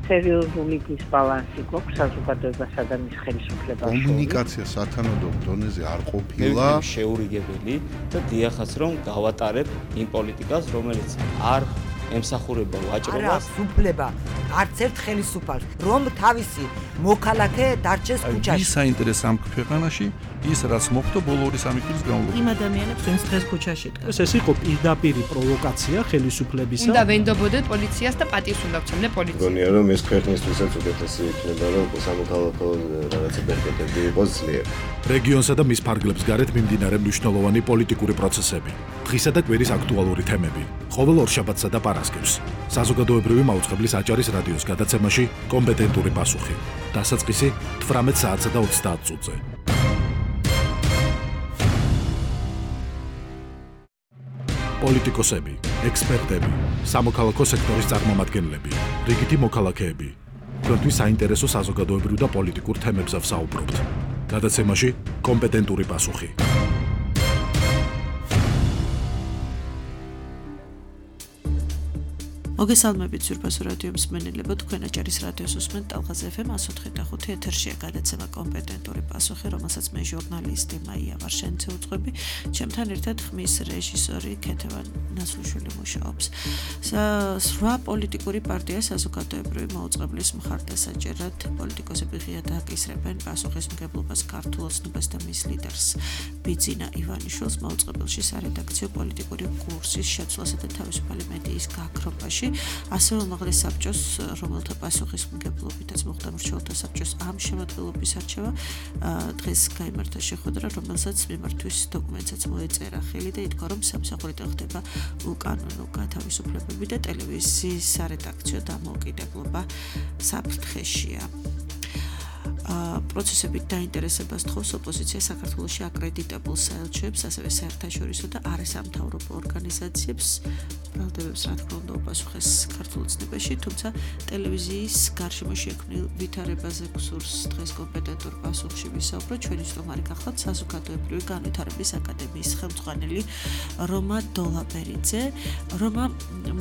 სერიოზული დისბალანსი გვაქვს საზოგადოებასა და მის ხელისუფლებას. კომუნიკაცია სათანადო დონეზე არ ყოფილა. შეურიგებელი და დიახაც რომ გავატარებ იმ პოლიტიკას, რომელიც არ ემსახურება ვაჭრობას. არა, უფლება არც ერთ ხელისუფალს, რომ თავისი მოქალაქე დარჩეს ქუჩაში. ის საინტერესო ამ ქვეყანაში ის რაც მოხდა ბოლო 2-3 წლის განმავლობაში. იმ ადამიანებს ვინც დღეს ქუჩაში დგას. ეს იყო პირდაპირი პროვოკაცია ხელისუფლებისა. უნდა ვენდობოდეთ პოლიციას და პატივს უნდა ვცემდე პოლიციას. მგონია რომ ეს ქვეყნისთვისაც უკეთესი იქნება რომ სამოქალაქო რაღაცა ბერკეტები იყოს ძლიერი. რეგიონსა და მის ფარგლებს გარეთ მიმდინარე მნიშვნელოვანი პოლიტიკური პროცესები, დღისა და კვირის აქტუალური თემები, ყოველ ორშაბათსა და პარასკევს. საზოგადოებრივი მაუწყებლის აჭარის რადიოს გადაცემაში კომპეტენტური პასუხი. დასაწყისი 18 საათსა და 30 წუთზე. პოლიტიკოსები, ექსპერტები, სამოქალაქო სექტორის წარმომადგენლები, რიგითი მოქალაქეები. თქვენთვის საინტერესო საზოგადოებრივ და პოლიტიკურ თემებზე ვსაუბრობთ. გადაცემაში კომპეტენტური პასუხი. მოგესალმებით ზურბასო რადიო მსმენელებო, თქვენ აჭარის რადიოს უსმენთ ტალღაზე FM 104.5 ეთერშია გადაცემა კომპეტენტური პასუხი, რომელსაც მე ჟურნალისტი მაია ვარშენცე უძღვები, ჩემთან ერთად ხმის რეჟისორი ქეთევან ნაცვლიშვილი მუშაობს. სხვა პოლიტიკური პარტია საზოგადოებრივი მაუწყებლის მხარდასაჭერად პოლიტიკოსები ღიად აკისრებენ პასუხისმგებლობას ქართულ ოცნებას და მის ლიდერს ბიძინა ივანიშვილს მაუწყებელში სარედაქციო პოლიტიკური კურსის შეცვლასა და თავისუფალი მედიის გაქრობაში. ასევე უმაღლეს საბჭოს, რომელთა პასუხისმგებლობითაც მოხდა მრჩეველთა საბჭოს ამ შემადგენლობის არჩევა, დღეს გაიმართა შეხვედრა, რომელსაც მიმართვის დოკუმენტსაც მოეწერა ხელი და ითქვა, რომ სამსახურიდან ხდება უკანონო გათავისუფლებები და ტელევიზიის სარედაქციო დამოუკიდებლობა საფრთხეშია. პროცესებით დაინტერესებას თხოვს ოპოზიცია საქართველოში აკრედიტებულ საელჩოებს, ასევე საერთაშორისო და არასამთავრობო ორგანიზაციებს, ბრალდებებს რა თქმა უნდა უპასუხეს ქართულ ოცნებაში, თუმცა ტელევიზიის გარშემო შექმნილ ვითარებაზე გსურს დღეს კომპეტენტურ პასუხში ვისაუბროთ. ჩვენი სტუმარი გახლავთ საზოგადოებრივი განვითარების აკადემიის ხელმძღვანელი რომა დოლაბერიძე. რომა,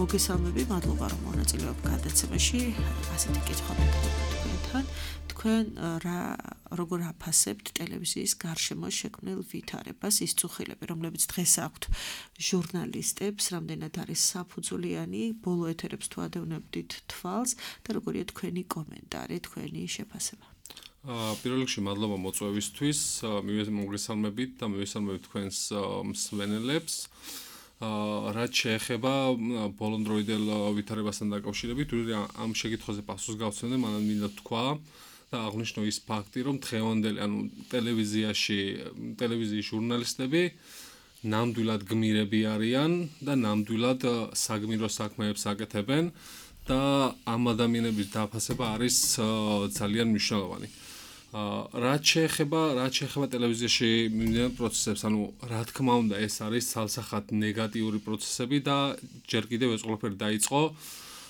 მოგესალმები, მადლობა რომ მონაწილეობ გადაცემაში. ასეთი კითხვა მეკითხა თქვენ როგორ აფასებთ ტელევიზიის გარშემო შექმნილ ვითარებას, ის წუხილები, რომლებიც დღეს აქვთ ჟურნალისტებს, რამდენად არის საფუძვლიანი, ბოლო ეთერებს თუ ადევნებდით თვალს და როგორია თქვენი კომენტარი, თქვენი შეფასება. პირველ რიგში მადლობა მოწვევისთვის, მოგესალმებით და მივესალმებით თქვენს მსმენელებს. რაც შეეხება ბოლონდროიდელ ვითარებასთან დაკავშირებით, ამ შეკითხვაზე პასუხს გავცემდე, მანამ მინდა თქვა და აღნიშნო ის ფაქტი, რომ დღევანდელი, ტელევიზიის ჟურნალისტები ნამდვილად გმირები არიან და ნამდვილად საგმირო საქმეებს აკეთებენ და ამ ადამიანების დაფასება არის ძალიან მნიშვნელოვანი. რაც შეეხება ტელევიზიაში მიმდინარე პროცესებს, რა თქმა უნდა, ეს არის ცალსახად ნეგატიური პროცესები და ჯერ კიდევ ეს ყველაფერი დაიწყო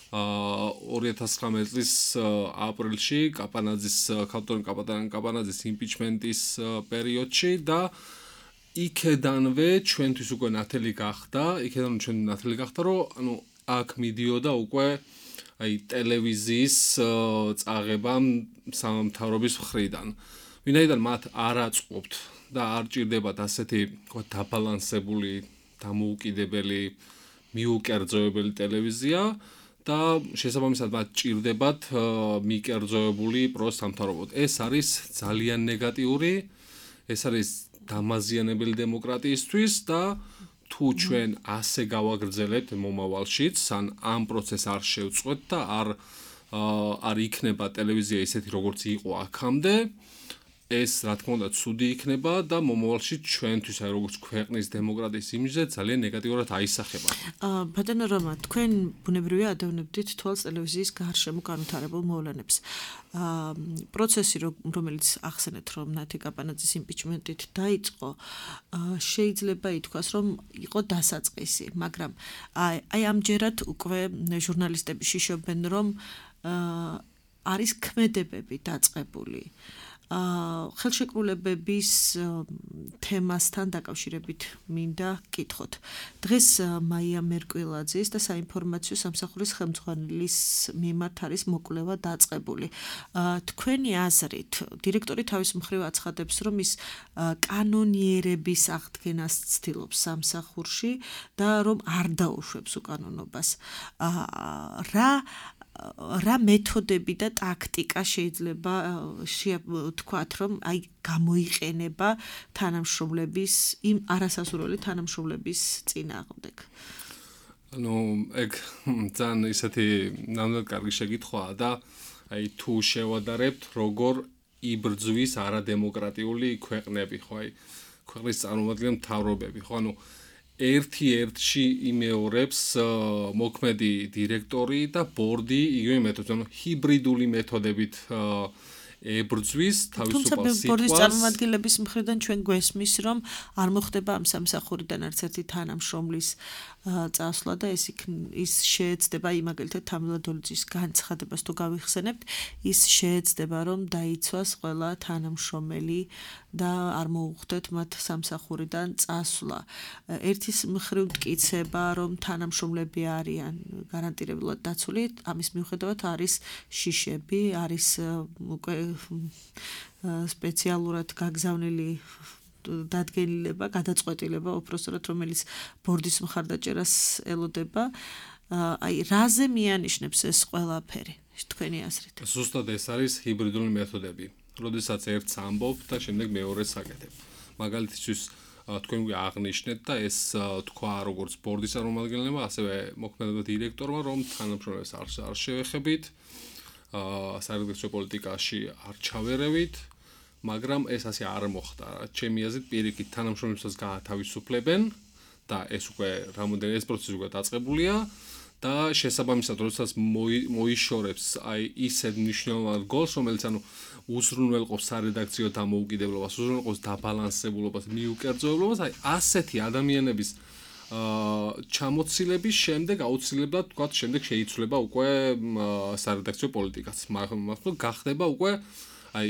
2019 წლის აპრილში ქალბატონ კაპანაძის იმპიჩმენტის პერიოდში და იქედანვე ჩვენთვის უკვე ნათელი გახდა, რომ აქ მიდიოდა უკვე ტელევიზიის წაღება სამთავრობის მხრიდან. ვინაიდან მათ არ აწყობთ და არ ჭირდებათ ასეთი დაბალანსებული, დამოუკიდებელი, მიუკერძოებელი ტელევიზია და შესაბამისად მათ ჭირდებათ მიკერძოებული პროსამთავრობო. ეს არის ძალიან ნეგატიური, ეს არის დამაზიანებელი დემოკრატიისთვის და თუ ჩვენ ასე გავაგრძელებთ მომავალშიც, ამ პროცესს არ შევწყვეტ და არ იქნება ტელევიზია ისეთი როგორც იყო აქამდე, ეს რა თქმა უნდა ცუდი იქნება და მომავალში ჩვენთვის როგორც ქვეყნის დემოკრატიის იმიჯზე ძალიან ნეგატიურად აისახება. ბატონო რომა, თქვენ ბუნებრივია ადევნებდით თვალს ტელევიზიის გარშემო განვითარებულ მოვლენებს. პროცესი, რომელიც ახსენეთ, რომ ნათი კაპანაძის იმპიჩმენტით დაიწყო, შეიძლება ითქვას, რომ იყო დასაწყისი, მაგრამ აი ამჯერად უკვე ჟურნალისტები შიშობენ, რომ არის ქმედებები დაწყებული. ხელშეკრულებების თემასთან დაკავშირებით მინდა კითხოთ. დღეს მაია მერკვილაძის და საინფორმაციო სამსახურის ხელმძღვანელის მიმართ არის მოკვლევა დაწყებული. თქვენი აზრით, დირექტორი თავის მხრივ აცხადებს, რომ ის კანონიერების აღდგენას ცდილობს სამსახურში და რომ არ დაუშვებს უკანონობას. რა მეთოდები და ტაქტიკა შეიძლება თქვათ, რომ აი გამოიყენება თანამშრომლების იმ არასასურველი თანამშრომლების წინააღმდეგ? ეგ ძალიან ისეთი ნამდვილად კარგი შეკითხვაა და აი თუ შევადარებთ, როგორ იბრძვის არადემოკრატიული ქვეყნები, ხო, აი ქვეყნის წარმომადგენელი მთავრობები, ხო, ერთ-ერთში იმეორებს მოქმედი დირექტორი და ბორდი იგივე მეთოდით, ჰიბრიდული მეთოდებით ებრძვის თავისუფალ სიტყვას. თუმცა ბორდის წარმომადგენლების მხრიდან ჩვენ გვესმის, რომ არ მოხდება ამ სამსახურიდან არც ერთი თანამშრომლის წასვლა და ის შეეცდება, მაგალითად თამილა დოლიძის განცხადებას თუ გავიხსენებთ, ის შეეცდება, რომ დაიცვას ყველა თანამშრომელი და არ მოუხდეთ მათ სამსახურიდან წასვლა. ერთის მხრივ მტკიცება, რომ თანამშრომლები არიან გარანტირებულად დაცული, ამის მიუხედავად არის შიშები, არის უკვე სპეციალურად გაგზავნილი დადგენილება, გადაწყვეტილება, უпростоრად რომელიც ბორდის მხარდაჭერას ელოდება. აი, რაზე მიანიშნებს ეს ყველაფერი, თქვენი აზრით? ზუსტად ეს არის ჰიბრიდული მეთოდები. როდესაც ერთს ამბობ და შემდეგ მეორეს აკეთებ. მაგალითისთვის თქვენ აღნიშნეთ და ეს თქვა როგორც ბორდის წარმომადგენლებმა, ასევე მოქმედება დირექტორმა, რომ თანამშრომლებს არ შევეხებით, სარედაქციო პოლიტიკაში არ ჩავერევით, მაგრამ ეს ასე არ მოხდა. ჩემი აზრით, პირიქით თანამშრომლებსაც გაათავისუფლებენ და ეს უკვე რამოდენიმე ეს პროცესი უკვე დაწყებულია და შესაბამისად, როდესაც მოიშორებს აი ისეთ მნიშვნელოვან გოლს, რომელიც უზრუნველყოფს სარედაქციო დამოუკიდებლობას, უზრუნველყოფს დაბალანსებულობას, მიუკერძოებლობას, აი ასეთი ადამიანების ჩამოცილების შემდეგ აუცილებლად თქვათ შემდეგ შეიცვლება უკვე სარედაქციო პოლიტიკაც. მაგრამ გახდება უკვე აი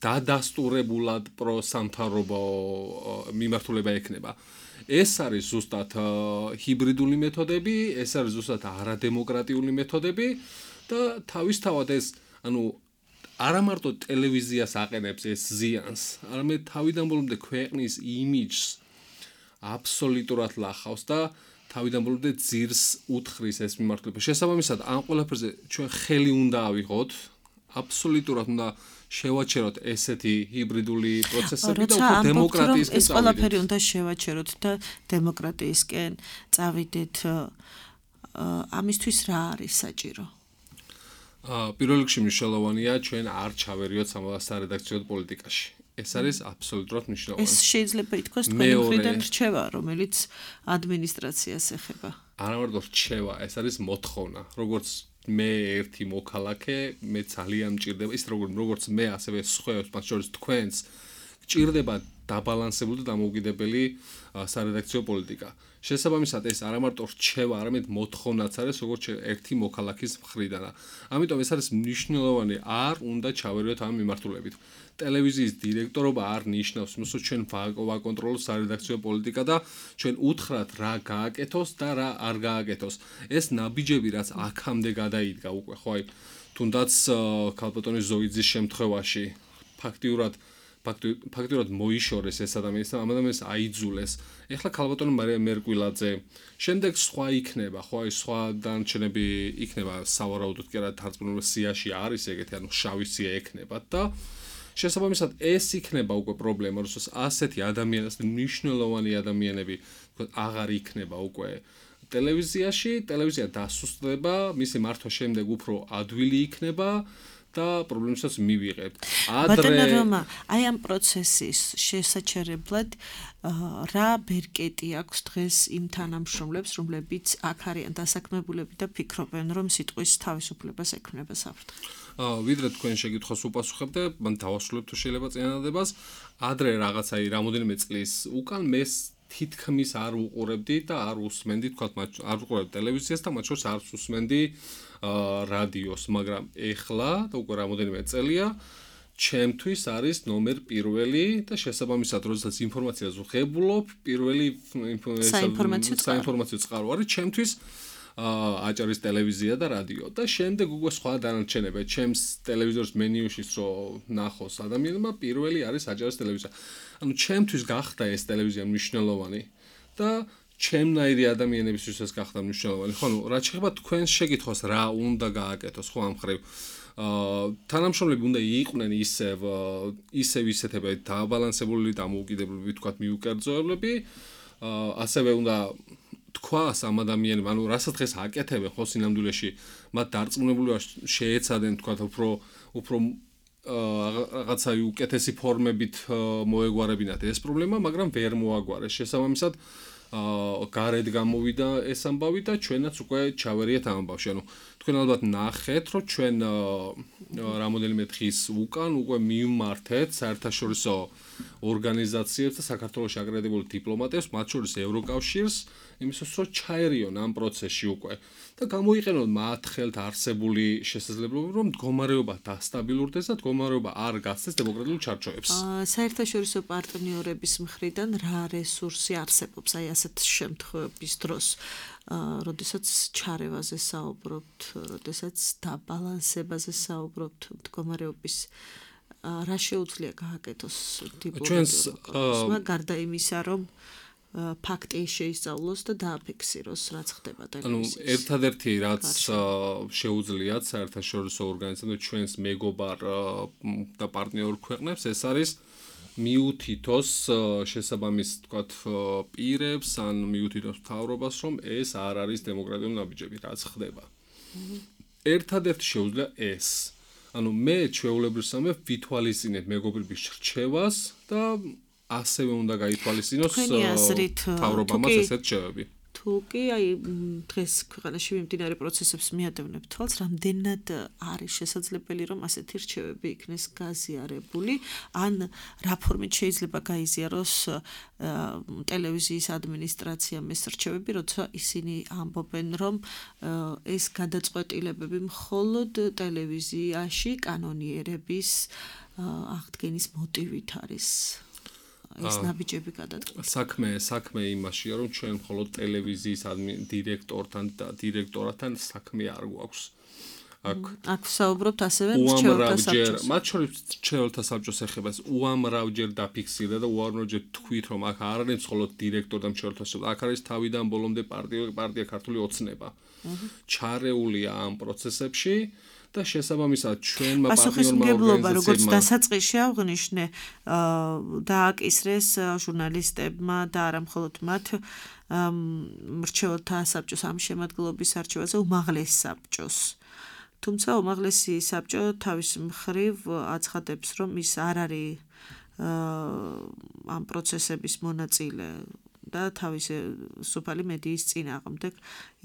დადასტურებულად პროსამთავრობო მიმართულება ექნება. ეს არის ზუსტად ჰიბრიდული მეთოდები, ეს არის ზუსტად არადემოკრატიული მეთოდები და თავისთავად ეს არა მარტო ტელევიზიას აყენებს ეს ზიანს, არამედ თავიდან ბოლომდე ქვეყნის იმიჯს აბსოლუტურად ლახავს და თავიდან ბოლომდე ძირს უთხრის ეს მიმართულება. შესაბამისად, ამ ყველაფერზე ჩვენ ხელი უნდა ავიღოთ, აბსოლუტურად უნდა შევაჩეროთ ესეთი ჰიბრიდული პროცესები და უფრო დემოკრატიისკენ ეს ყველაფერი უნდა შევაჩეროთ და დემოკრატიისკენ წავიდეთ. ამისთვის რა არის საჭირო? პირველ რიგში მნიშვნელოვანია ჩვენ არ ჩავერიოთ სარედაქციო პოლიტიკაში. ეს არის აბსოლუტურად მნიშვნელოვანი. ეს შეიძლება ითქვას თქვენი მხრიდან რჩევა, რომელიც ადმინისტრაციას ეხება. არა მარტო რჩევა, ეს არის მოთხოვნა. როგორც მე ერთი მოქალაქე, მე ძალიან მჭირდება ის როგორც მე ასევე სხვებს, მათ შორის თქვენს გჭირდება დაბალანსებული და დამოუკიდებელი სარედაქციო პოლიტიკა. შესაბამისად ეს არა მარტო რჩევა, არამედ მოთხოვნაც არის როგორც ერთი მოქალაქის მხრიდან. ამიტომ ეს არის მნიშვნელოვანი, არ უნდა ჩავერიოთ ამ მიმართულებით. ტელევიზიის დირექტორობა არ ნიშნავს, რომ ჩვენ ვაკონტროლოთ სარედაქციო პოლიტიკა და ჩვენ უთხრათ რა გააკეთოს და რა არ გააკეთოს. ეს ნაბიჯები რაც აქამდე გადაიდგა უკვე, ხო, აი, თუნდაც ქალბატონის ზოიძის შემთხვევაში ფაქტიურად მოიშორეს ეს ადამიანი და ამ ადამიანს აიძულეს. ეხლა ქალბატონი მარია მერკვილაძე, შემდეგ სხვა იქნება, ხო, აი სხვა დანარჩენები იქნება, სავარაუდოდ კი არა თარწმუნებული სიაში არის ეგეთი, შავი სია ექნება და შესაბამისად ეს იქნება უკვე პრობლემა, როდესაც ასეთი ადამიანები, მნიშვნელოვანი ადამიანები, თქო, აღარ იქნება უკვე ტელევიზიაში, ტელევიზია დასუსტდება, მისი მართვა შემდეგ უფრო ადვილი იქნება და პრობლემასაც მივიღებთ. ბატონო რომა, აი ამ პროცესის შესაჩერებლად რა ბერკეტი აქვს დღეს იმ თანამშრომლებს, რომლებიც აქ არიან დასაქმებულები და ფიქრობენ, რომ სიტყვის თავისუფლებას ექმნება საფრთხე? ვიდრე თქვენ შეკითხვას უპასუხებთ, მან დავასრულებ თუ შეიძლება წინადადებას. ადრე რაღაცა რამოდენიმე წლის უკან მე თითქმის არ უყურებდი და არ უსმენდი, თქვათ, არ უყურებდი ტელევიზიას და მათ შორის არ უსმენდი რადიოს, მაგრამ ეხლა და უკვე რამოდენიმე წელია ჩემთვის არის ნომერ პირველი და შესაბამისად როდესაც ინფორმაციას ვღებულობ, პირველი საინფორმაციო წყარო არის ჩემთვის აჭარის ტელევიზია და რადიო და შემდეგ უკვე სხვა დანარჩენები. ჩემს ტელევიზორის მენიუშიც რო ნახოს ადამიანმა, პირველი არის აჭარის ტელევიზია. ანუ ჩემთვის გახდა ეს ტელევიზია მნიშვნელოვანი და ჩემნაირი ადამიანებისთვისაც გახდა მნიშვნელოვანი. ხო, ნუ რაც შეეხება თქვენს შეკითხვას, რა უნდა გააკეთოს, ხო, ამ ხრივ თანამშრომლები უნდა იყვნენ ისევ ისეთებად დააბალანსებული, დამოუკიდებლები, თქვათ მიუკერძოებლები, ასევე უნდა თქვას ამ ადამიანებს, ანუ რასაც დღეს აკეთებენ ხო სინამდვილეში, მათ დარწმუნებულება შეეცადენ, თქვათ უფრო რაღაცა უკეთესი ფორმებით მოეგვარებინათ ეს პრობლემა, მაგრამ ვერ მოაგვარეს. შესაბამისად გარეთ გამოვიდა ეს ამბავი და ჩვენაც უკვე ჩავერიეთ ამ ამბავში. ანუ თქვენ ალბათ ნახეთ, რომ ჩვენ რამოდენიმე დღის უკან უკვე მივმართეთ საერთაშორისო ორგანიზაციებს და საქართველოში აკრედიტებულ დიპლომატებს, მათ შორის ევროკავშირს, იმისათვის რომ ჩაერიონ ამ პროცესში უკვე და გამოიყენონ მათ ხელთ არსებული შესაძლებლობები, რომ მდგომარეობა დასტაბილურდეს და მდგომარეობა არ გაცდეს დემოკრატიულ ჩარჩოებს. საერთაშორისო პარტნიორების მხრიდან რა რესურსი არსებობს აი ასეთ შემთხვევების დროს, როდესაც ჩარევაზე საუბრობთ, როდესაც დაბალანსებაზე საუბრობთ მდგომარეობის რა შეუძლია გააკეთოს დიპლომატიურმა გარდა იმისა, რომ ფაქტი შეისწავლოს და დააფიქსიროს, რაც ხდება ტელევიზიაში. ანუ ერთადერთი რაც შეუძლიათ საერთაშორისო ორგანიზაციებს ჩვენს მეგობარ და პარტნიორ ქვეყნებს, ეს არის მიუთითოს შესაბამის, თქვათ, პირებს ან მიუთითოს მთავრობას, რომ ეს არ არის დემოკრატიული ნაბიჯები, რაც ხდება. ერთადერთი შეუძლია ეს. ანუ მე ჩვეულებრივსამე ვითვალისწინებ მეგობრების რჩევას და ასევე უნდა გაითვალისწინოს მთავრობამაც ესეთ რჩევები. თუ კი აი დღეს ქვეყანაში მიმდინარე პროცესებს მიადევნებთ თვალს, რამდენად არის შესაძლებელი, რომ ასეთი რჩევები იქნეს გაზიარებული, ან რა ფორმით შეიძლება გაიზიაროს ტელევიზიის ადმინისტრაციამ ეს რჩევები, როცა ისინი ამბობენ, რომ ეს გადაწყვეტილებები მხოლოდ ტელევიზიაში კანონიერების აღდგენის მოტივით არის. ეს ნაბიჯები გადადგა. საქმე იმაშია, რომ ჩვენ მხოლოდ ტელევიზიის დირექტორთან საქმე არ გვაქვს. აქ საუბრობთ ასევე მრჩეველთა საბჭოს. მათ შორის მრჩეველთა საბჭოს ეხება ეს უამრავჯერ დაფიქსირდა და უამრავჯერ თქვით, რომ აქ არ არის მხოლოდ დირექტორი და მრჩეველთა საბჭო, აქ არის თავიდან ბოლომდე პარტია ქართული ოცნება. ჩარეულია ამ პროცესებში. და შესაბამისად ჩვენმა პარტნიორმა როგორც დასაწყისში აღნიშნე, დააკისრეს ჟურნალისტებმა და არა მხოლოდ მათ მრჩეველთა საბჭოს ამ შემადგენლობის არჩევაზე უმაღლეს საბჭოს. თუმცა უმაღლესი საბჭო თავის მხრივ აცხადებს, რომ ის არ არის ამ პროცესების მონაწილე და თავისი სოფალი მედიის წინააღმდეგ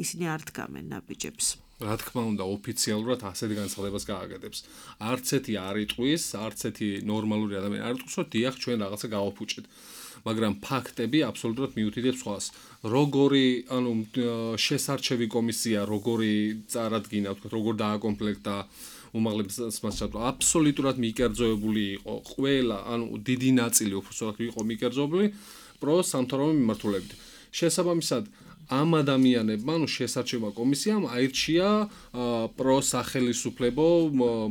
ისინი არ დგამენ ნაბიჯებს. რა თქმა უნდა, ოფიციალურად ასეთ განცხადებას გააკეთებს. არც ერთი არ იტყვის, არც ერთი ნორმალური ადამიანი არ იტყვის, რომ დიახ, ჩვენ რაღაცა გავაფუჭეთ. მაგრამ ფაქტები აბსოლუტურად მიუთითებს სხვას. როგორი, ანუ შესარჩევი კომისია, როგორი წარადგინა, თქვა, როგორ დააკომპლექტა უმაღლეს მასშტაბში, აბსოლუტურად მიკერძოებული იყო ყველა, ანუ დიდი ნაწილი უბრალოდ იყო მიკერძოებული პრო-სამთავრობო მიმართულებით. შესაბამისად ამ ადამიანებმა, ანუ შესარჩევმა კომისიამ აირჩია პროსახელისუფლებო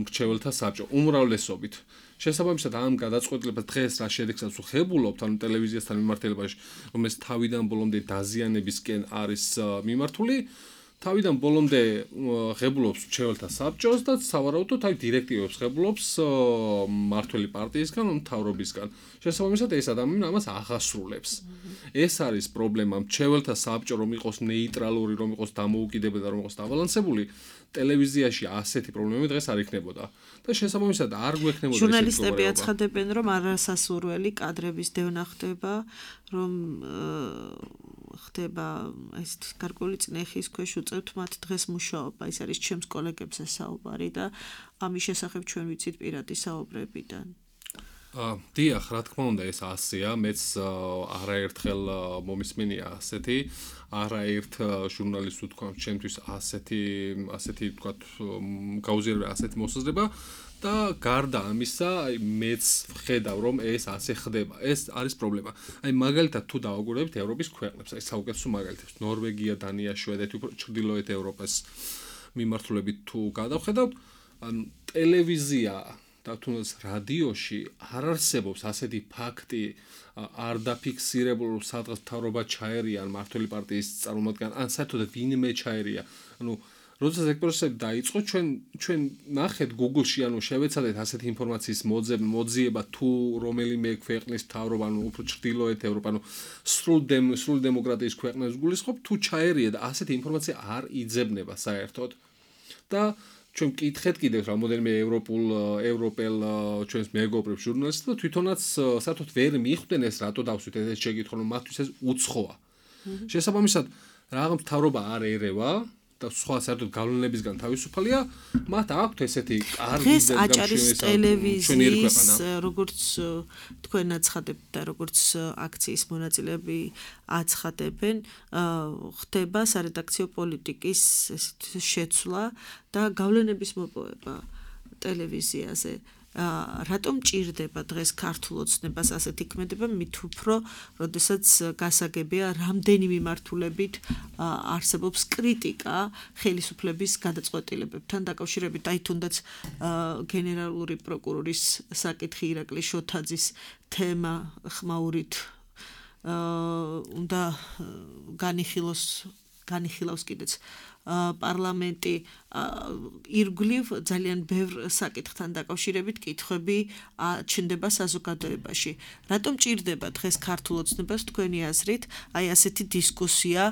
მრჩეველთა საბჭო უმრავლესობით. შესაბამისად ამ გადაწყვეტილებას დღეს რა შედეგსაც ვხებულობთ, ანუ ტელევიზიასთან მიმართებაში, რომელიც თავიდან ბოლომდე დაზიანებისკენ არის მიმართული, თავიდან ბოლომდე ღებულობს მრჩეველთა საბჭოს და სავარაუდოდ აი დირექტივებს ღებულობს მმართველი პარტიისგან, მთავრობისგან. შესაბამისად ეს ადამიანი ამას აღასრულებს. ეს არის პრობლემა. მრჩეველთა საბჭო რომ იყოს ნეიტრალური, რომ იყოს დამოუკიდებელი და რომ იყოს დაბალანსებული, ტელევიზიაში ასეთი პრობლემები დღეს არ იქნებოდა. და შესაბამისად არ გვექნებოდა ჟურნალისტები აცხადებენ, რომ არასასურველი კადრების დევნა ხდება, რომ ხდება ეს გარკვეული წნეხის ქვეშ უწევთ მათ დღეს მუშაობა. ის არის ჩემს კოლეგებზე საუბარი და ამის შესახებ ჩვენ ვიცით პირადი საუბრებიდან. დიახ, რა თქმა უნდა, ეს ასეა, მეც არაერთხელ მომისმენია ასეთი, არაერთ ჟურნალისტს ვთქვა, ჩემთვის ასეთი ვთქვათ, გაუზიარებელი ასეთი მოსაზრება და გარდა ამისა, მეც ვხედავ, რომ ეს ასე ხდება. ეს არის პრობლემა. მაგალითად თუ დავაგვირებით ევროპის ქვეყნებს, საუკეთესო მაგალითებს, ნორვეგია, დანია, შვედეთი, უფრო ჩრდილოეთ ევროპის მიმართულებით თუ გადავხედავთ, ტელევიზია და თუნდაც რადიოში არ არსებობს ასეთი ფაქტი, არ დაფიქსირებული, რომ სადღაც მთავრობა ჩაერია ან მმართველი პარტიის წარმომადგენელი, ან საერთოდ ვინმე ჩაერია. როდესაც ეგ პროცესი დაიწყო, ჩვენ ნახეთ Google-ში, შევეცადეთ ასეთი ინფორმაციის მოძიება თუ რომელიმე ქვეყნის მთავრობა, უფრო ჩრდილოეთ ევროპა, სრულ დემოკრატიის ქვეყნებს გულისხმობ, თუ ჩაერია და ასეთი ინფორმაცია არ იძებნება საერთოდ. და ჩვენ მკითხეთ კიდევ რამოდენიმე ევროპელ ჩვენს მეგობრებს ჟურნალისტებს და თვითონაც საერთოდ ვერ მიხვდნენ ეს რატო დავსვით ეს შეკითხვა, რომ მათთვის ეს უცხოა. შესაბამისად, რაღაც მთავრობა არ ერევა და სხვა საერთოდ გავლენებისგან თავისუფალია, მათ აქვთ ესეთი კარგი აჭარის ტელევიზიის, როგორც თქვენ აცხადებთ და როგორც აქციის მონაწილეები აცხადებენ, ხდება სარედაქციო პოლიტიკის შეცვლა და გავლენების მოპოვება ტელევიზიაზე. რატომ ჭირდება დღეს ქართულ ოცნებას ასეთი ქმედება, მით უფრო, როდესაც გასაგებია რამდენი მიმართულებით არსებობს კრიტიკა ხელისუფლების გადაწყვეტილებებთან დაკავშირებით, თუნდაც გენერალური პროკურორის საკითხი ირაკლი შოთაძის თემა ხმაურით უნდა განიხილავს კიდეც პარლამენტი, ირგვლივ ძალიან ბევრ საკითხთან დაკავშირებით კითხვები ჩნდება საზოგადოებაში. რატომ ჭირდება დღეს ქართულ ოცნებას თქვენი აზრით ასეთი დისკუსია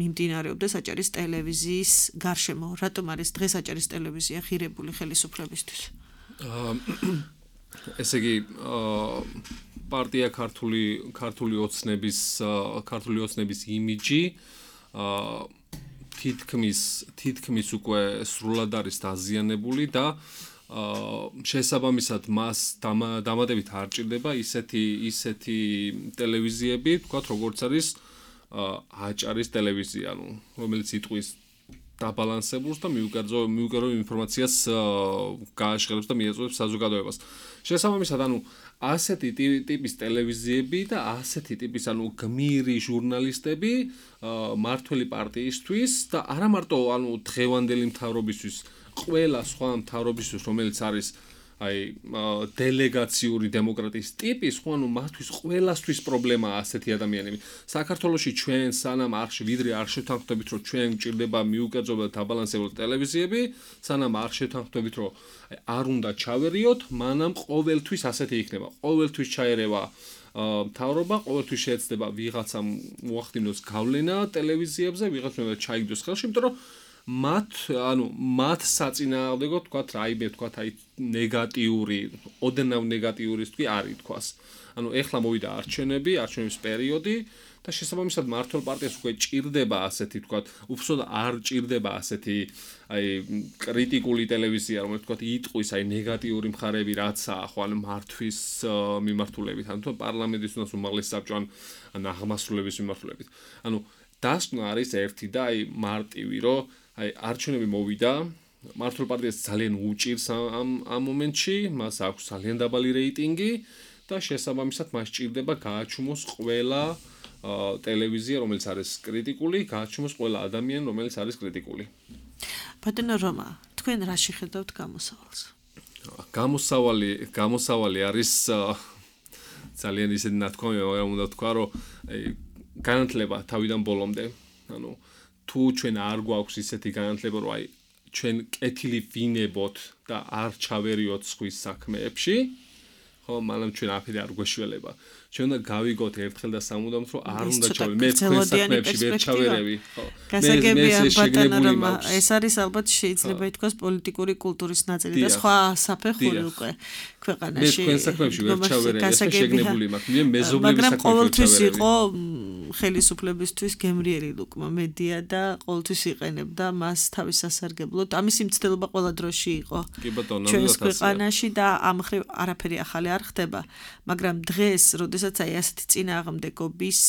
მიმდინარეობდეს აჭარის ტელევიზიის გარშემო? რატომ არის დღეს აჭარის ტელევიზია ღირებული ხელისუფლებისთვის? ესე იგი, პარტია ქართული ოცნების იმიჯი თითქმის უკვე სრულად არის დაზიანებული და შესაბამისად მას დამატებით არ ჭირდება ისეთი ტელევიზიები, თქვათ, როგორც არის აჭარის ტელევიზია, რომელიც იტყვის დაბალანსებულს და მიუგერო ინფორმაციას გააშღერებს და მიეწოდებს საზოგადოებას. შესაბამისად, ასეთი ტიპის ტელევიზიები და ასეთი ტიპის გმირი ჟურნალისტები მმართველი პარტიისთვის და არა მარტო დღევანდელი მთავრობისთვის, ყველა სხვა მთავრობისთვის, რომელიც არის დელეგაციური დემოკრატიის ტიპის, მათთვის ყველასთვის პრობლემაა ასეთი ადამიანები. საქართველოში ჩვენ სანამ ვიდრე არ შევთანხმდებით, რომ ჩვენ გვჭირდება მიუკერძო და დაბალანსებული ტელევიზიები, სანამ არ შევთანხმდებით, რომ არ უნდა ჩავერიოთ, მანამ ყოველთვის ასეთი იქნება. ყოველთვის ჩაერევა მთავრობა, ყოველთვის შეეცდება ვიღაცამ მოახდინოს გავლენა ტელევიზიებზე, ვიღაცამ ჩაიგდოს ხელში, იმიტომ რომ მათ საწინააღმდეგო ნეგატიური, ოდნავ ნეგატიურის არ ითქვას. ეხლა მოვიდა არჩევნების პერიოდი და შესაბამისად მმართველ პარტიას უკვე ჭირდება ასეთი უბრალოდ არ ჭირდება ასეთი კრიტიკული ტელევიზია, რომელიც იტყვის ნეგატიური მხარეები, რაცაა მართვის მიმართულებით, პარლამენტის უმაღლესი საბჭო ან აღმასრულების მიმართულებით. დასკვნა არის ერთი და მარტივი, რომ არჩევნები მოვიდა, მმართველ პარტიას ძალიან უჭირს ამ მომენტში, მას აქვს ძალიან დაბალი რეიტინგი და შესაბამისად მას ჭირდება გააჩუმოს ყველა ტელევიზია, რომელიც არის კრიტიკული, გააჩუმოს ყველა ადამიანი, რომელიც არის კრიტიკული. ბატონო რომა, თქვენ რაში ხედავთ გამოსავალს? გამოსავალი არის ძალიან ისეთი ნათქვამი, მაგრამ უნდა ვთქვა, რომ განათლება თავიდან ბოლომდე, თუ ჩვენ არ გვაქვს ისეთი განათლება, რომ ჩვენ კეთილი ვინებოთ და არ ჩავერიოთ სხვის საქმეებში, მანამ ჩვენ აფერი არ გვეშველება. ჩვენ უნდა გავიგოთ ერთხელ და სამუდამოდ რომ არ უნდა ჩავი მე თქვენ საქმეებში ვერ ჩავერევი გასაგებია ბატონო რომ ეს არის ალბათ შეიძლება ითქვას პოლიტიკური კულტურის ნაწილი და სხვა საფეხური უკვე ქვეყანაში მე თქვენ საქმეებში ვერ ჩავერევი ეს შეგნებული მაქვს მე მეზობლების მაგრამ ყოველთვის იყო ხელისუფლებისთვის გემრიელი ლუკმა მედია და ყოველთვის იყენებდა მას თავის სასარგებლოდ ამის მცდელობა ყველა დროში იყო ჩვენს ქვეყანაში და ამ ხრივ არაფერი ახალი არ ხდება მაგრამ დღეს როდესაც აი ასეთი წინააღმდეგობის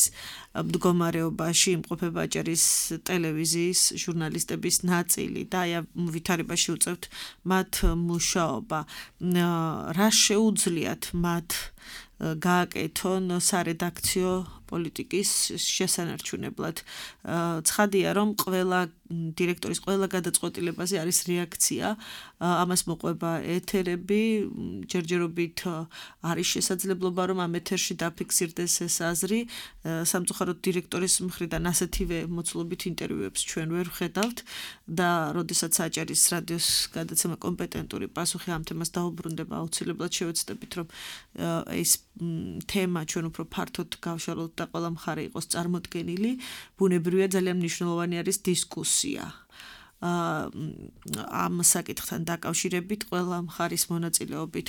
მდგომარეობაში იმყოფება აჭარის ტელევიზიის ჟურნალისტების ნაწილი და აი ვითარებაში უწევთ მათ მუშაობა რა შეუძლიათ მათ გააკეთონ სარედაქციო პოლიტიკის შესანარჩუნებლად ცხადია რომ ყველა დირექტორის ყველა გადაწყვეტილებაზე არის რეაქცია ამას მოყვება ეთერები ჯერჯერობით არის შესაძლებლობა რომ ამ ეთერში დაფიქსირდეს ეს აზრი სამწუხაროდ დირექტორის მხრიდან ასეთივე მოცულობით ინტერვიუებს ჩვენ ვერ ვხედავთ და როდესაც აჭარის რადიოს გადაცემა კომპეტენტური პასუხი ამ თემას დაუბრუნდება აუცილებლად შევეცდებით რომ ეს თემა ჩვენ უფრო ფართოდ გავშალოთ და ყველა მხარე იყოს წარმოდგენილი ბუნებრივია ძალიან მნიშვნელოვანი არის დისკუსია ამ საკითხთან დაკავშირებით ყველა მხარის მონაწილეობით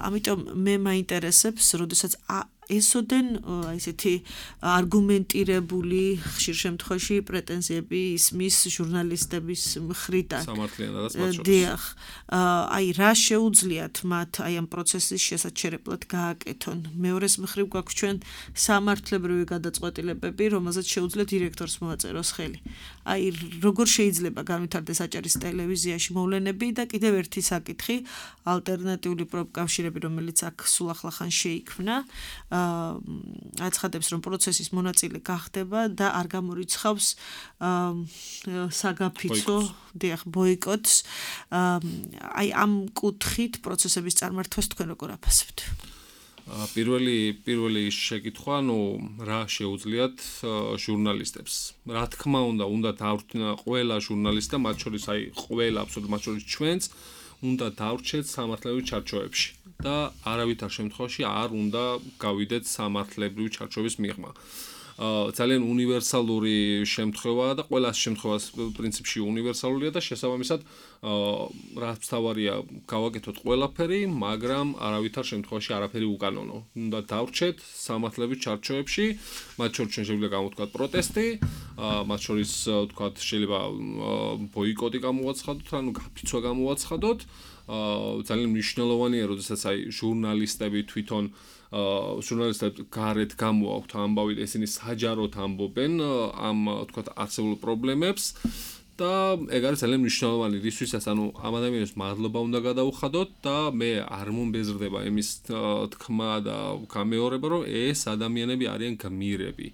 ამიტომ მე მაინტერესებს როდესაც ესოდენ ესეთი არგუმენტირებული ხშირ შემთხვევაში პრეტენზიები ისმის ჟურნალისტების მხრიდან სამართლიანადაც მათ შორის დიახ აი რა შეუძლიათ მათ აი ამ პროცესის შესაჩერებლად გააკეთონ მეორეს მხრივ გვაქვს ჩვენ სამართლებრივი გადაწყვეტილებები რომელზეც შეუძლია დირექტორს მოაწეროს ხელი აი როგორ შეიძლება განვითარდეს აჭარის ტელევიზიაში მოვლენები და კიდევ ერთი საკითხი ალტერნატიული პროფკავშირები რომელიც აქ სულ ახლახან შეიქმნა აცხადებს რომ პროცესის მონაწილე გახდება და არ გამორიცხავს საგაფიცო დიახ ბოიკოტს აი ამ კუთხით პროცესების წარმართვას თქვენ როგორ აფასებთ პირველი შეკითხვა რა შეუძლიათ ჟურნალისტებს რა თქმა უნდა დავრჩენ ყველა ჟურნალისტი და მათ შორის აი ყველა აბსოლუტურად მათ შორის ჩვენც უნდა დავრჩეთ სამართლებრივ ჩარჩოებში და არავითარ შემთხვევაში არ უნდა გავიდეთ სამართლებრივი ჩარჩოების მიღმა. ძალიან უნივერსალური შემთხვევაა და ყველა შემთხვევას პრინციპში უნივერსალურია და შესაბამისად რაც თავარია გავაკეთოთ ყველაფერი, მაგრამ არავითარ შემთხვევაში არაფერი უკანონო. უნდა დავრჩეთ სამართლებრივ ჩარჩოებში, მათ შორის შეიძლება გამოვთქვათ პროტესტი, მათ შორის ვთქვათ შეიძლება ბოიკოტი გამოვაცხადოთ, ანუ გაფიცვა გამოვაცხადოთ. ძალიან მნიშვნელოვანია, როდესაც აი ჟურნალისტები თვითონ ჟურნალისტებს გარეთ გამოაქვთ ამბავი და ისინი საჯაროდ ამბობენ ამ ვთქვათ არსებულ პრობლემებს და ეგ არის ძალიან მნიშვნელოვანი რისთვისაც ანუ ამ ადამიანებს მადლობა უნდა გადაუხადოთ და მე არ მომბეზრდება იმის თქმა და გამეორება რომ ეს ადამიანები არიან გმირები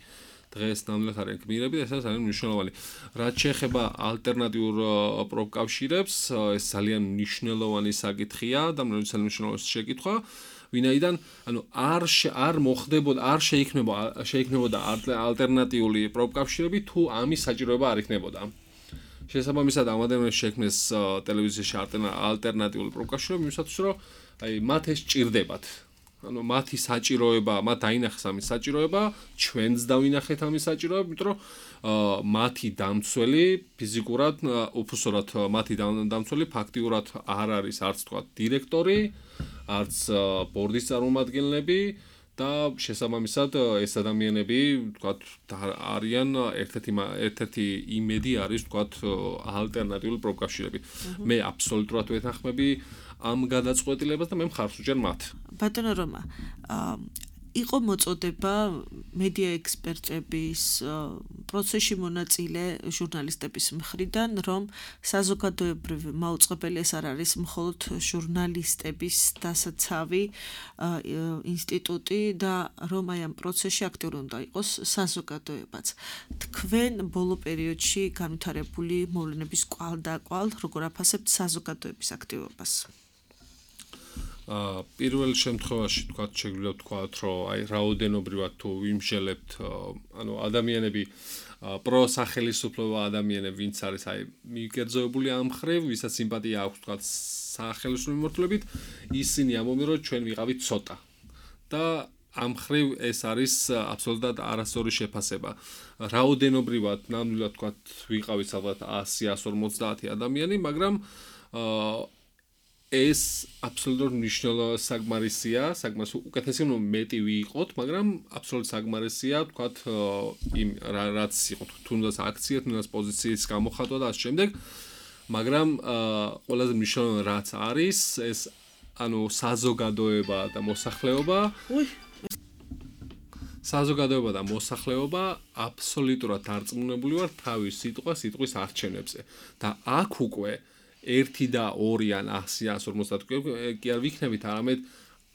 დღეს ნამდვილად არიან გმირები და ეს არის ძალიან მნიშვნელოვანი რაც შეეხება ალტერნატიურ პროფკავშირებს ეს ძალიან მნიშვნელოვანი საკითხია და ძალიან მნიშვნელოვანი შეკითხვა ვინაიდან ანუ არ მოხდებოდა არ შეიქმნებოდა ალტერნატიული პროფკავშირები თუ ამის საჭიროება არ იქნებოდა შესაბამისად ამ ადამიანებს შექმნეს ტელევიზიაში ალტერნატიული პროფკავშირები იმისათვის რომ აი მათ ეს ჭირდებათ ანუ მათი საჭიროება მათ დაინახეს ამის საჭიროება ჩვენც დავინახეთ ამის საჭიროება იმიტომ რომ მათი დამცველი ფიზიკურად უფსორად მათი დამცველი ფაქტიურად არ არის არც თქვა დირექტორი არც ბორდის წარმომადგენლები და შესაბამისად ეს ადამიანები ვთქვათ არიან ერთ-ერთი იმედი არის ვთქვათ ალტერნატიული პროფკავშირები მე აბსოლუტურად ვეთანხმები ამ გადაწყვეტილებას და მე მხარს ვუჭერ მათ ბატონო რომა იყო მოწოდება მედია ექსპერტების პროცესში მონაწილე ჟურნალისტების მხრიდან რომ საზოგადოებრივი მაუწყებელი ეს არ არის მხოლოდ ჟურნალისტების დასაცავი ინსტიტუტი და რომ აი ამ პროცესში აქტიური უნდა იყოს საზოგადოებაც თქვენ ბოლო პერიოდში განვითარებული მოვლენების კვალ როგორ აფასებთ საზოგადოების აქტივობას პირველ შემთხვევაში თქვათ შეგვიძლია ვთქვათ რომ აი რაოდენობრივად თუ ვიმსჯელებთ ანუ ადამიანები პროსახელისუფლება ადამიანები ვინც არის აი მიგერძოებული ამ ხრივ ვისაც სიმპათია აქვს თქვათ სახელმწიფო მიმართულებით ისინი ამბობენ რომ ჩვენ ვიყავით ცოტა და ამ ხრივ ეს არის აბსოლუტურად არასწორი შეფასება. რაოდენობრივად ნამდვილად თქვა ვიყავით ალბათ 100-150 ადამიანი, მაგრამ ეს აბსოლუტურად მნიშვნელოვანი საკმარისია, უკეთესი რომ მეტი ვიყოთ, მაგრამ აბსოლუტურად საკმარისია, თქვა იმ რაც იყო თუნდაც აქცია, თუნდაც პოზიციის გამოხატვა და ასე შემდეგ. მაგრამ ყველაზე მნიშვნელოვანი რაც არის, ეს ანუ საზოგადოება და მოსახლეობა აბსოლუტურად დარწმუნებული ვარ თავის სიტყვის არჩევნებზე და აქ უკვე 1 და 2 ან 100-150 კი არ ვიქნებით, არამედ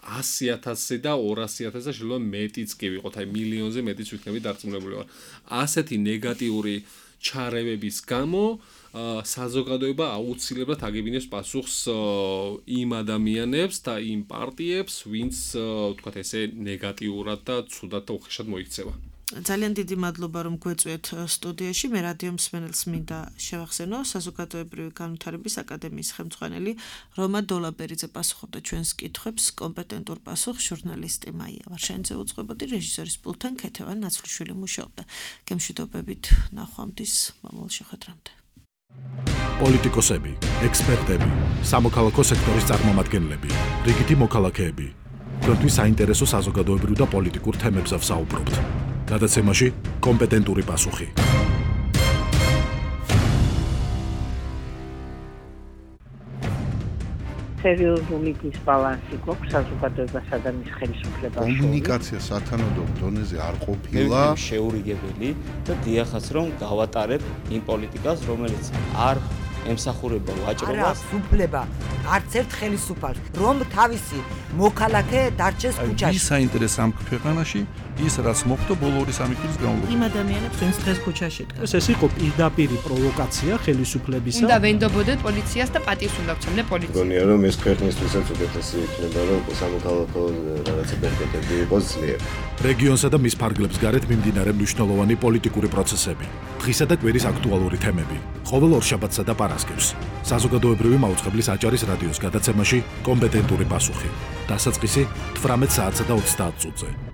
100,000 და 200,000 და შეიძლება მეტიც კი ვიყოთ, აი მილიონზე მეტიც ვიქნებით დარწმუნებული ვარ. ასეთი ნეგატიური ჩარევების გამო საზოგადოება აუცილებლად აგებინებს პასუხს იმ ადამიანებს და იმ პარტიებს, ვინც თქვათ ესე ნეგატიურად და ცუდად და უხეშად მოიქცევა. ძალიან დიდი მადლობა რომ გვეწვიეთ სტუდიაში. მე რადიო მსმენელს მინდა შევახსენო საზოგადოებრივი განვითარების აკადემიის ხელმძღვანელი რომა დოლაბერიძე პასუხობდა ჩვენს კითხვებს. კომპეტენტურ პასუხს ჟურნალისტი მაია ვარშენიძე უძღვებოდი, რეჟისორის პულტთან ქეთევან ნაცვლიშვილი მუშაობდა. გემშვიდობებით ნახვამდის მომავალ შეხვედრამდე. პოლიტიკოსები, ექსპერტები, სამოქალაქო სექტორის წარმომადგენლები, რიგითი მოქალაქეები. თქვენთვის საინტერესო საზოგადოებრივ და პოლიტიკურ თემებზე ვსაუბრობთ. გადაცემაში კომპეტენტური პასუხი. სერიოზული დისბალანსი გვაქვს საზოგადოებასა და მის ხელისუფლებას. კომუნიკაცია სათანადო დონეზე არ ყოფილა შეურიგებელი და დიახაც რომ გავატარებ იმ პოლიტიკას, რომელიც არ ემსახურება ვაჭრობას. არა, უფლება არც ერთ ხელისუფალს, რომ თავისი მოქალაქე დარჩეს ქუჩაში. ის საინტერესო ამ ქვეყანაში ის რაც მოხდა ბოლო 2-3 წლის განმავლობაში. იმ ადამიანებს ვინც დღეს ქუჩაში დგას. ეს იყო პირდაპირი პროვოკაცია ხელისუფლებისა. უნდა ვენდობოდეთ პოლიციას და პატივს უნდა ვცემდე პოლიციას. მგონია რომ ეს ქვეყნისთვისაც უკეთესი იქნება, რომ სამოქალაქო რაღაცა ბერკეტები იყოს ძლიერი. რეგიონსა და მის ფარგლებს გარეთ მიმდინარე მნიშვნელოვანი პოლიტიკური პროცესები, დღისა და კვირის აქტუალური თემები, ყოველ ორშაბათსა და პარასკევს. საზოგადოებრივი მაუწყებლის აჭარის რადიოს გადაცემაში კომპეტენტური პასუხი. დასაწყისი 18 საათსა და 30 წუთზე.